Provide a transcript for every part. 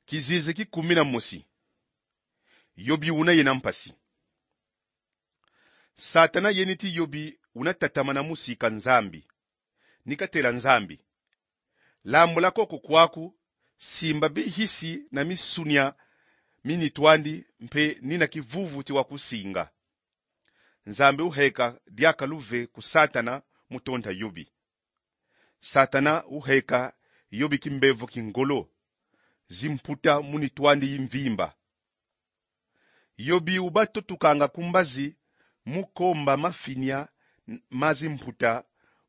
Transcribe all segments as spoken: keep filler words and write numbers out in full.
Kizizi ki kumi na mosi. Yobi una yena mpasi. Satana yeni ti Yobi una tatamana mu sika Nzambi, ni katela Nzambi: Lambula koko kwaku, simba bihisi na misunia mi nitu andi, mpe nina kivuvu ti wa kusinga. Nzambi uheka diaka luve ku Satana mu tonda Yobi. Satana uheka Yobi kimbevo ki ngolo, zimputa mu nitu andi yi mvimba. Yobi uba totukanga ku mbazi mu komba mafinia ma zimputa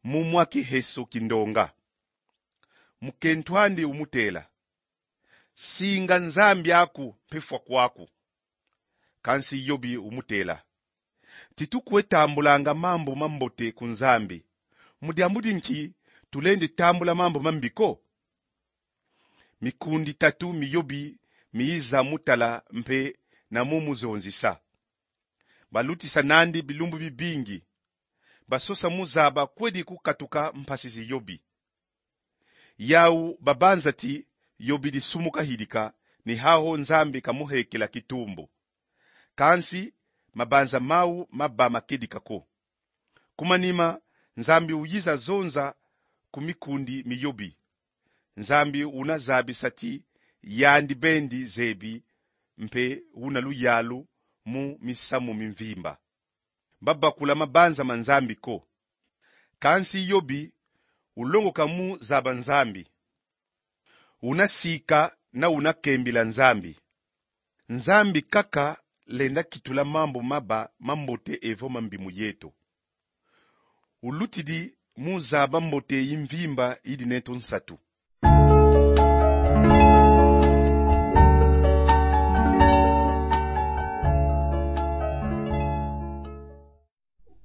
mu mwa kiheso ki ndonga. Mukento andi umutela: Singa Nzambi aku mpe fwa kwaku. Kansi Yobi umutela: Ti tukwe tambulanga mambu mambote ku Nzambi, mu diambu di nki tulendi tambula mambu mambi ko? Mikundi tatu mi Yobi miyiza mu tala mpe na mu muzonzisa. Balutisa nandi bilumbu bibingi. Basosa mu zaba kwedi kukatuka mpasi zi Yobi. Yau babanza ti Yobi disumuka hidika, ni hau Nzambi kamuhekela kitumbu. Kansi mabanza mau maba ma kedika ko. Ku manima, Nzambi uyiza zonza ku mikundi mi Yobi. Nzambi una zabisa ti yandi bendi zebi, mpe una luyalu mu misamu mi mvimba. Babakula mabanza ma Nzambi ko. Kansi Yobi ulongoka mu zaba Nzambi. Una sika na una kembila Nzambi. Nzambi kaka lenda kitula mambu maba mambote evo mambi mu yeto. Ulutidi mu zaba mbote yi mvimba yidi neto nsatu.